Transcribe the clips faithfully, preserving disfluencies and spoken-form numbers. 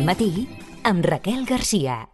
matí amb Raquel Garcia.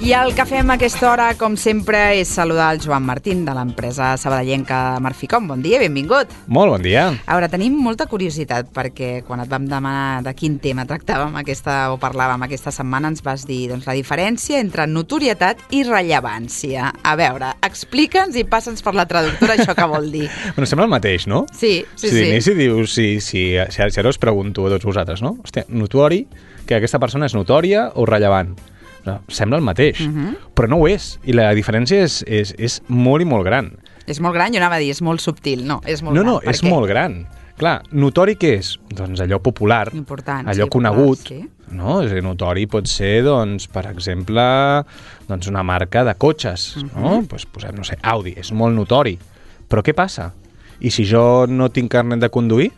I el que fem a aquesta hora, com sempre, és saludar el Joan Martín, de l'empresa sabadellenca Marficom. Bon dia, benvingut. Molt bon dia. A veure, tenim molta curiositat, perquè quan et vam demanar de quin tema tractàvem aquesta, o parlàvem aquesta setmana, ens vas dir doncs, la diferència entre notorietat i rellevància. A veure, explica'ns i passa'ns per la traductora això que vol dir. Bueno, sembla el mateix, no? Sí, sí, si sí. Si dius, si, si, si, si ara us pregunto a tots vosaltres, no? Hòstia, notori, que aquesta persona és notòria o rellevant? Sembla el mateix, uh-huh. però no ho és. I la diferència és, és, és molt i molt gran. És molt gran, jo anava a dir, és molt subtil. No, és molt no, gran. No, és què? Molt gran. Clar, notori què és? Doncs allò popular, important, allò sí, conegut. Popular, sí. No? És a dir, notori pot ser, doncs, per exemple, doncs una marca de cotxes. Uh-huh. No? Pues posem, no sé, Audi, és molt notori. Però què passa? I si jo no tinc carnet de conduir?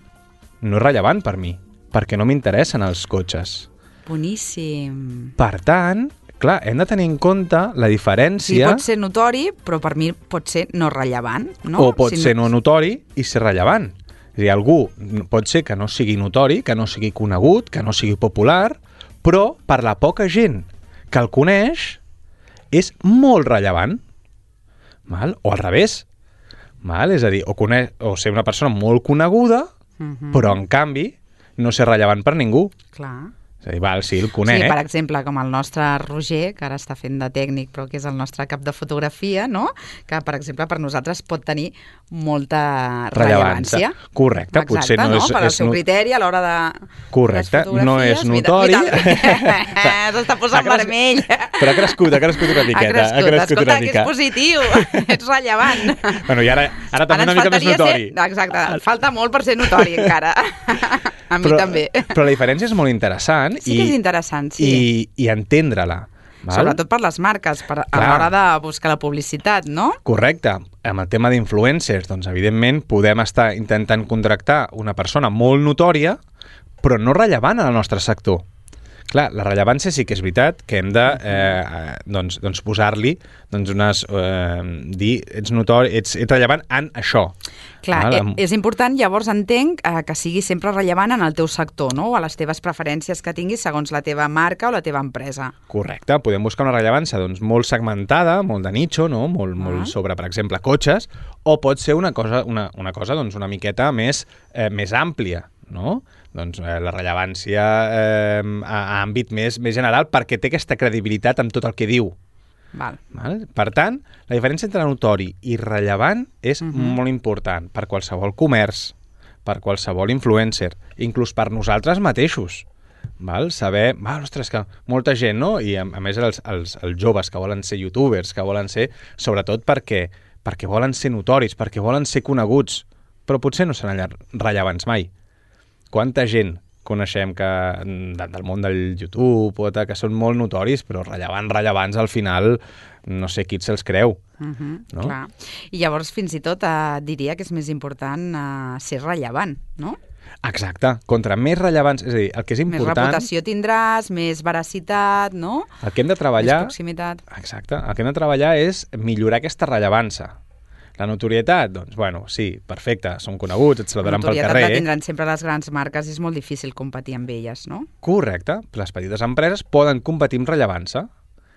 No és rellevant per mi, perquè no m'interessen els cotxes. Boníssim. Per tant, clar, hem de tenir en compte la diferència... Sí, pot ser notori, però per mi pot ser no rellevant, no? O pot si ser no... no notori i ser rellevant. És a dir, algú pot ser que no sigui notori, que no sigui conegut, que no sigui popular, però per la poca gent que el coneix és molt rellevant. Val? O al revés. Val? És a dir, o, coneix, o ser una persona molt coneguda, uh-huh. però en canvi no ser rellevant per ningú. Clar. És a dir, val, sí, el conec. Sí, per exemple, com el nostre Roger, que ara està fent de tècnic, però que és el nostre cap de fotografia, no? Que, per exemple, per nosaltres pot tenir molta rellevància. Correcte. Exacte, Potser no, no? és... Per al és seu no... criteri a l'hora de... Correcte, no és notori. S'està posant cres... vermell. Però ha crescut, ha crescut una miqueta. Ha crescut, ha crescut escolta, una que mica. és positiu, ets rellevant. Bueno, i ara, ara també una mica més notori. Ser... Exacte, falta molt per ser notori encara. A mi però, també. Però la diferència és molt interessant. Sí que és interessant, sí. I, i entendre-la. Val? Sobretot per les marques, per, a l'hora de buscar la publicitat, no? Correcte. Amb el tema d'influencers, doncs, evidentment, podem estar intentant contractar una persona molt notòria, però no rellevant en el nostre sector. Clar, la rellevància sí que és veritat que hem de eh, doncs, doncs posar-li doncs unes, eh, dir, ets notori, ets, ets rellevant en això. Clar, Val? eh, és important, llavors entenc eh, que sigui sempre rellevant en el teu sector, no? O a les teves preferències que tinguis segons la teva marca o la teva empresa. Correcte, podem buscar una rellevància doncs, molt segmentada, molt de nicho, no? molt, ah. molt sobre, per exemple, cotxes, o pot ser una cosa, una, una cosa doncs, una miqueta més, eh, més àmplia, no? Doncs eh, la rellevància eh, a, a àmbit més, més general perquè té aquesta credibilitat amb tot el que diu. Val. Val? Per tant, la diferència entre notori i rellevant és uh-huh. molt important per qualsevol comerç, per qualsevol influencer, inclús per nosaltres mateixos. Val? Saber, val, ostres, que molta gent, no? I a, a més els, els, els joves que volen ser youtubers, que volen ser, sobretot perquè, perquè volen ser notoris, perquè volen ser coneguts, però potser no seran rellevants mai. Quanta gent coneixem que del món del YouTube o que són molt notoris, però rellevants, rellevants, al final no sé qui se'ls creu. Uh-huh, no? Clar. I llavors fins i tot eh, diria que és més important eh, ser rellevant, no? Exacte. Contra més rellevants, és a dir, el que és important... Més reputació tindràs, més veracitat, no? El que hem de treballar... Més proximitat. Exacte. El que hem de treballar és millorar aquesta rellevància. La notorietat, doncs, bueno, sí, perfecte, són coneguts, et saludaran pel carrer. La notorietat la tindran sempre les grans marques i és molt difícil competir amb elles, no? Correcte. Les petites empreses poden competir amb rellevància.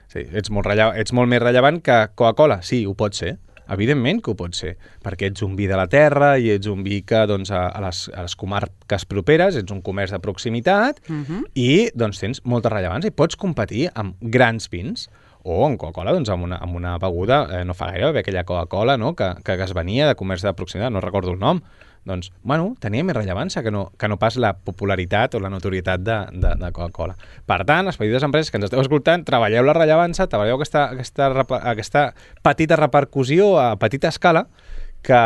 Sí, ets molt, rellevant, ets molt més rellevant que Coca-Cola. Sí, ho pot ser. Evidentment que ho pot ser, perquè ets un vi de la terra i ets un vi que doncs, a, a, les, a les comarques properes, ets un comerç de proximitat uh-huh. i doncs, tens molta rellevància i pots competir amb grans vins. O en Coca-Cola, doncs, amb una, amb una beguda, eh, no fa gaire, va haver aquella Coca-Cola, no?, que, que es venia de comerç de proximitat, no recordo el nom. Doncs, bueno, tenia més rellevància que no, que no pas la popularitat o la notorietat de, de, de Coca-Cola. Per tant, les petites empreses que ens esteu escoltant, treballeu la rellevància, treballeu aquesta, aquesta, aquesta petita repercussió a petita escala, que,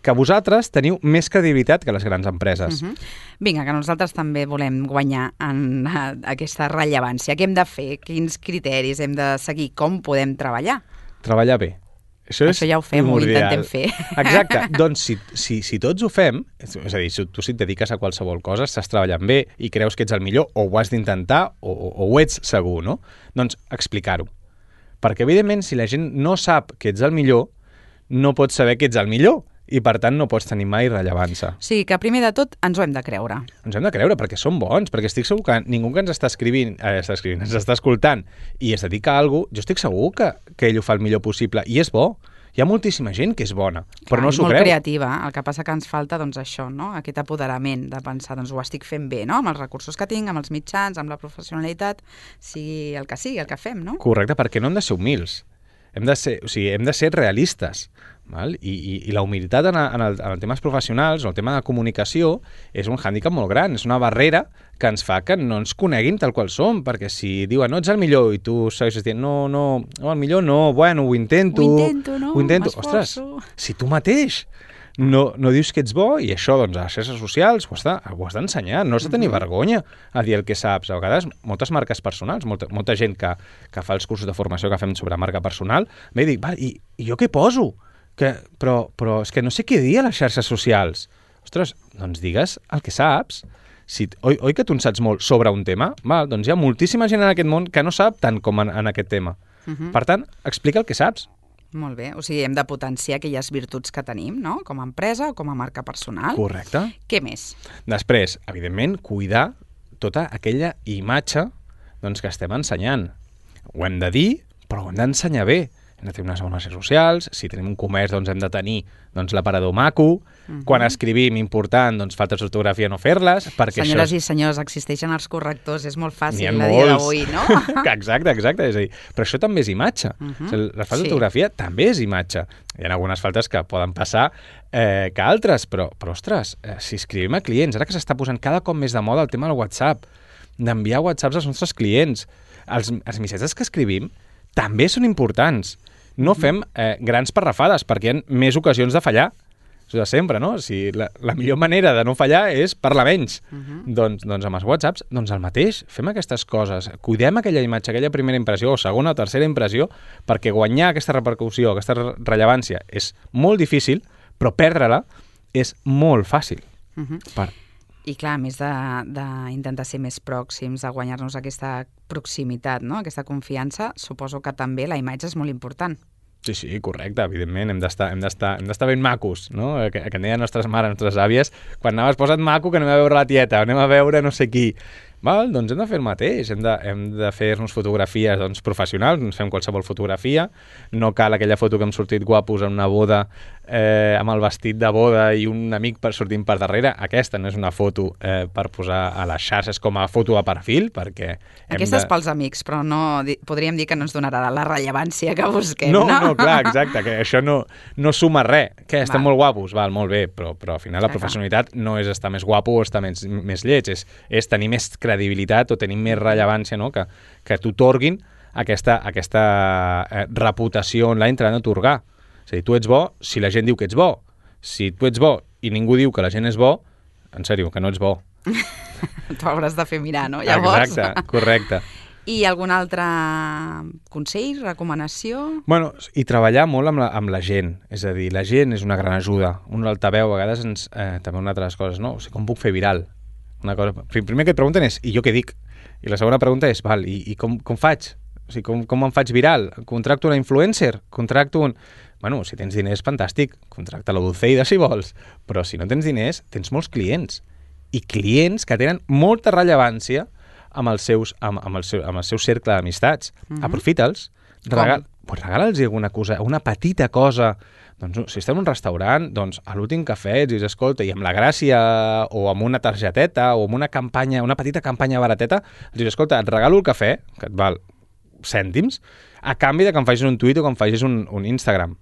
que vosaltres teniu més credibilitat que les grans empreses. Uh-huh. Vinga, que nosaltres també volem guanyar en uh, aquesta rellevància. Què hem de fer? Quins criteris hem de seguir? Com podem treballar? treballar bé. Això, Això ja ho fem, ho intentem fer. Exacte. Doncs si, si, si tots ho fem, és a dir, si tu si et dediques a qualsevol cosa, estàs treballant bé i creus que ets el millor, o ho has d'intentar, o, o, o ho ets segur, no? Doncs explicar-ho. Perquè, evidentment, si la gent no sap que ets el millor, no pots saber que ets el millor i, per tant, no pots tenir mai rellevància. O sigui, que primer de tot ens ho hem de creure. Ens hem de creure, perquè som bons, perquè estic segur que ningú que ens està escrivint, eh, està escrivint, ens està escoltant i es dedica a alguna cosa, jo estic segur que, que ell ho fa el millor possible, i és bo. Hi ha moltíssima gent que és bona, però Clar, no s'ho molt creu. creativa, el que passa que ens falta doncs això, no? Aquest apoderament de pensar, doncs ho estic fent bé, no? Amb els recursos que tinc, amb els mitjans, amb la professionalitat, sigui el que sigui, el que fem, no? Correcte, perquè no hem de ser humils. Hem de ser, o sigui, hem de ser realistes. Val? I, i, I la humilitat en, en, el, en els temes professionals o el tema de comunicació és un hàndicap molt gran, és una barrera que ens fa que no ens coneguin tal qual som, perquè si diuen no ets el millor i tu segueixes dient no, no, no el millor no, bueno, ho intento, ho intento, no? Ho intento. Ostres, si tu mateix no, no dius que ets bo, i això doncs, a les xarxes socials ho has de- ho has d'ensenyar, no has de tenir vergonya a dir el que saps. A vegades, moltes marques personals, molta, molta gent que, que fa els cursos de formació que fem sobre marca personal, m'he dit, va, i, i jo què poso? Que, però, però és que no sé què dir a les xarxes socials. Ostres, doncs digues el que saps. Si, oi, oi que tu en saps molt sobre un tema? Val, doncs hi ha moltíssima gent en aquest món que no sap tant com en, en aquest tema. Uh -huh. Per tant, explica el que saps. Molt bé, o sigui, hem de potenciar aquelles virtuts que tenim, no? Com a empresa o com a marca personal. Correcte. Què més? Després, evidentment, cuidar tota aquella imatge doncs, que estem ensenyant. Ho hem de dir, però ho hem d'ensenyar bé. Hem de tenir unes bones xarxes socials, si tenim un comerç doncs hem de tenir doncs, l'aparador maco, uh-huh. Quan escrivim important, doncs faltes d'ortografia no fer-les, perquè Senyores això... i senyors, existeixen els correctors, és molt N'hi fàcil ha a dia molts. d'avui, no? Exacte, exacte. És a dir, però això també és imatge. Uh-huh. O sigui, la falta Sí. d'ortografia també és imatge. Hi ha algunes faltes que poden passar eh, que altres, però, però ostres, eh, si escrivim a clients, ara que s'està posant cada cop més de moda el tema del WhatsApp, d'enviar whatsapps als nostres clients, els, els missatges que escrivim també són importants. No fem eh, grans parrafades, perquè hi ha més ocasions de fallar. Això de sempre, no? Si la, la millor manera de no fallar és parlar menys. Uh-huh. doncs, doncs amb els whatsapps, doncs el mateix. Fem aquestes coses. Cuidem aquella imatge, aquella primera impressió, o segona o tercera impressió, perquè guanyar aquesta repercussió, aquesta rellevància, és molt difícil, però perdre-la és molt fàcil. Uh-huh. Per... I clar, a més d'intentar ser més pròxims, de guanyar-nos aquesta proximitat, no? Aquesta confiança, suposo que també la imatge és molt important. Sí, sí, correcte, evidentment, hem d'estar hem d'estar hem d'estar ben macos, no? Que, que en deien nostres mares, nostres àvies, quan anaves posa't maco que anem a veure la tieta, anem a veure no sé qui. Val? Doncs hem de fer el mateix, hem de, hem de fer-nos fotografies doncs, professionals, ens fem qualsevol fotografia, no cal aquella foto que hem sortit guapos en una boda eh, amb el vestit de boda i un amic per sortint per darrere. Aquesta no és una foto eh, per posar a les xarxes com a foto de perfil, perquè... hem Aquesta és de... pels amics, però no di- podríem dir que no ens donarà la rellevància que busquem, No, no? no, clar, exacte, que això no, no suma res. Que estem Val. molt guapos, val, molt bé, però, però al final la Clar, clar. professionalitat no és estar més guapo o estar més, més lleig, és, és tenir més credibilitat o tenir més rellevància, no? que, que t'otorguin aquesta, aquesta eh, reputació online te l'han d'atorgar. És a dir, tu ets bo si la gent diu que ets bo. Si tu ets bo i ningú diu que la gent és bo, en sèrio, que no ets bo. T'ho hauràs de fer mirar, no? Llavors... Exacte, correcte. I algun altre consell, recomanació? Bueno, i treballar molt amb la, amb la gent. És a dir, la gent és una gran ajuda. Un altaveu, a vegades, ens, eh, també una altra de les coses, no? O sigui, com puc fer viral? Una cosa... Primer que et pregunten és, i jo què dic? I la segona pregunta és, val, i, i com, com faig? O sigui, com, com em faig viral? Contracto una influencer? Contracto un... Bueno, si tens diners, fantàstic. Contracta la Dulceida, si vols. Però si no tens diners, tens molts clients. I clients que tenen molta rellevància amb els seus, amb, amb el, seu, amb el seu cercle d'amistats. Uh-huh. Aprofita'ls, regal, pues regala'ls alguna cosa, una petita cosa. Doncs, si estem en un restaurant, doncs a l'últim cafè ets, escolta, i amb la gràcia o amb una targeteta o amb una campanya, una petita campanya barateta, els dius, escolta, et regalo el cafè, que et val cèntims, a canvi de que em facis un tuit o que em facis un, un Instagram.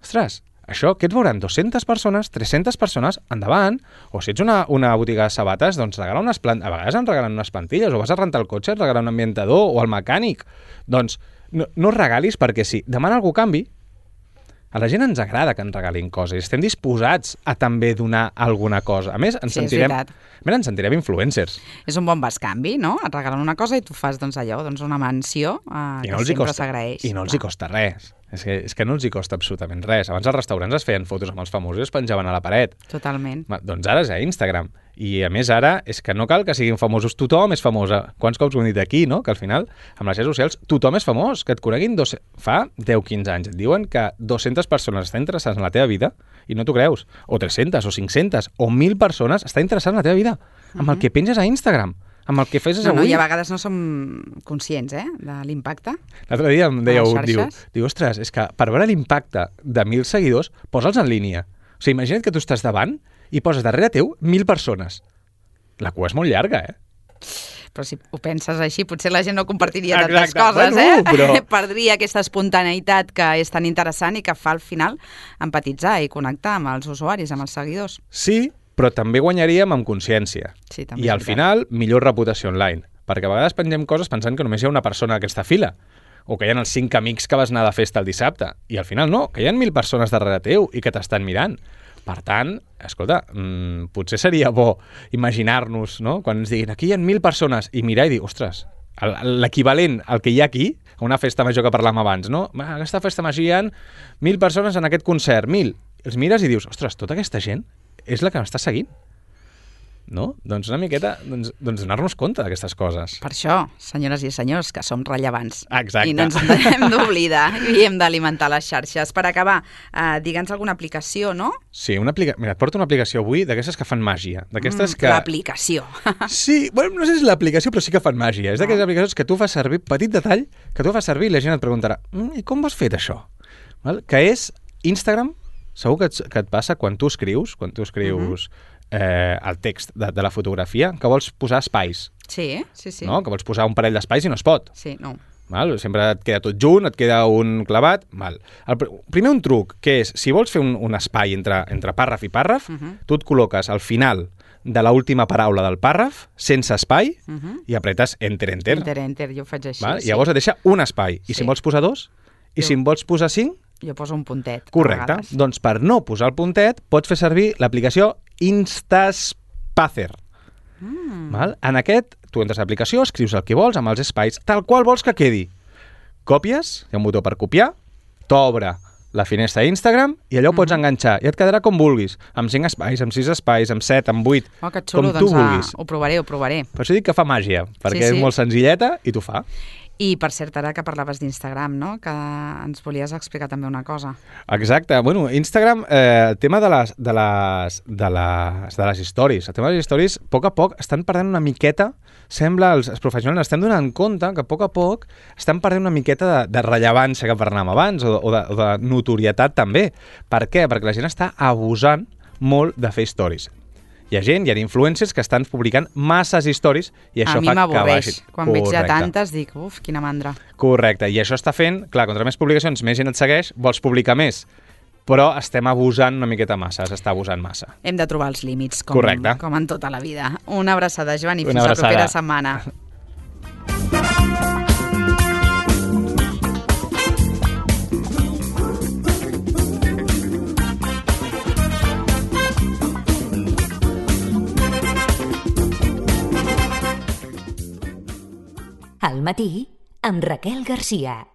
Ostres, això, què et veuran? dues-centes persones, tres-centes persones, endavant. O si ets una, una botiga de sabates, doncs regala unes plantilles. A vegades en regalen unes plantilles, o vas a rentar el cotxe, et regalen un ambientador, o el mecànic. Doncs no, no regalis perquè sí. Demana algú a canvi. A la gent ens agrada que ens regalin coses. Estem disposats a també donar alguna cosa. A més, ens Sí, és sentirem, veritat. a més, ens sentirem influencers. És un bon bescanvi, no? Et regalen una cosa i tu fas doncs, allò, doncs, una menció eh, I que no els hi sempre costa, s'agraeix. I no els hi costa res. És que, és que no els hi costa absolutament res. Abans als restaurants es feien fotos amb els famosos i es penjaven a la paret. Totalment. Ma, doncs ara és a Instagram. I a més ara és que no cal que siguin famosos. Tothom és famosa. Quants cops ho hem dit aquí, no? Que al final, amb les xarxes socials, tothom és famós. Que et coneguin dos... fa deu quinze anys. Et diuen que dues-centes persones estan interessades en la teva vida i no t'ho creus. O tres-centes, o cinc-centes, o mil persones estan interessades en la teva vida. Amb el que penges a Instagram. Amb el que fes No, no, avui. I a vegades no som conscients, eh, de l'impacte. L'altre dia em deia A les un, diu, xarxes? diu, ostres, és que per veure l'impacte de mil seguidors, posa'ls en línia. O sigui, imagina't que tu estàs davant i poses darrere teu mil persones. La cua és molt llarga, eh? Però si ho penses així, potser la gent no compartiria Exacte. tantes coses, Bueno, eh? però- Perdria aquesta espontaneïtat que és tan interessant i que fa al final empatitzar i connectar amb els usuaris, amb els seguidors. Sí, però també guanyaríem amb consciència. Sí, també I és al veritat. final, millor reputació online. Perquè a vegades pengem coses pensant que només hi ha una persona a aquesta fila. O que hi ha els cinc amics que vas anar de festa el dissabte. I al final no, que hi ha mil persones darrere teu i que t'estan mirant. Per tant, escolta, mmm, potser seria bo imaginar-nos, no?, quan ens diguin aquí hi ha mil persones i mirar i dir, ostres, el- l'equivalent al que hi ha aquí, a una festa major que parlàvem abans, no? A aquesta festa major hi ha mil persones en aquest concert, mil. Els mires i dius, ostres, tota aquesta gent és la que m'està seguint. No? Doncs una miqueta, doncs, doncs donar-nos compte d'aquestes coses. Per això, senyores i senyors, que som rellevants. Exacte. I no ens hem d'oblidar i hem d'alimentar les xarxes. Per acabar, eh, digue'ns alguna aplicació, no? Sí, una aplica... Mira, et porto una aplicació avui d'aquestes que fan màgia. D'aquestes que... L'aplicació. Sí, bueno, no sé si és l'aplicació, però sí que fan màgia. És d'aquelles aplicacions que tu fas servir, petit detall, que tu fas servir i la gent et preguntarà mm, i com ho has fet això? Val? Que és Instagram, segur que et, que et passa quan tu escrius, quan tu escrius uh-huh. eh, el text de, de la fotografia, que vols posar espais, Sí, sí, sí. no? Que vols posar un parell d'espais i no es pot. Sí, no. Val? Sempre et queda tot junt, et queda un clavat. Val. El pr- primer un truc, que és, si vols fer un, un espai entre, entre pàrraf i pàrraf, Uh-huh. tu et col·loques al final de l'última paraula del pàrraf, sense espai, Uh-huh. i apretes enter, enter. Enter, enter, jo ho faig així. Val? sí. I llavors et deixa un espai. I Sí. si en vols posar dos, i Jo- si en vols posar cinc, Jo poso un puntet. a correcte. vegades. Doncs per no posar el puntet, pots fer servir l'aplicació Instaspacer. Mm. Val? En aquest, tu entres a l'aplicació, escrius el que vols amb els espais, tal qual vols que quedi. Copies, hi ha un botó per copiar, t'obre la finestra d'Instagram i allò ho pots enganxar i et quedarà com vulguis, amb cinc espais, amb sis espais, amb set, amb vuit, Oh, que xulo, com tu doncs ah, vulguis. ho provaré, ho provaré. Per això dic que fa màgia, perquè Sí, sí. és molt senzilleta i t'ho fa. I, per cert, ara que parlaves d'Instagram, no?, que ens volies explicar també una cosa. Exacte. Bueno, Instagram, eh, el tema de les, de, les, de, les, de les stories. El tema de les stories, a poc a poc, estan perdent una miqueta, sembla, els, els professionals estem donant compte que a poc a poc estan perdent una miqueta de, de rellevància que parlàvem abans, o, o, de, o de notorietat també. Per què? Perquè la gent està abusant molt de fer stories. Hi ha gent, hi ha influencers que estan publicant masses stories i això A mi fa que m'avorreix. baixi. Quan veig ja Correcte. tantes, dic, uf, quina mandra. Correcte, i això està fent, clar, contra més publicacions, més gent et segueix, vols publicar més, però estem abusant una miqueta massa, s'està abusant massa. Hem de trobar els límits, com, Correcte. com en tota la vida. Una abraçada, Joan, i Una fins la abraçada. propera setmana. Al matí, amb Raquel Garcia.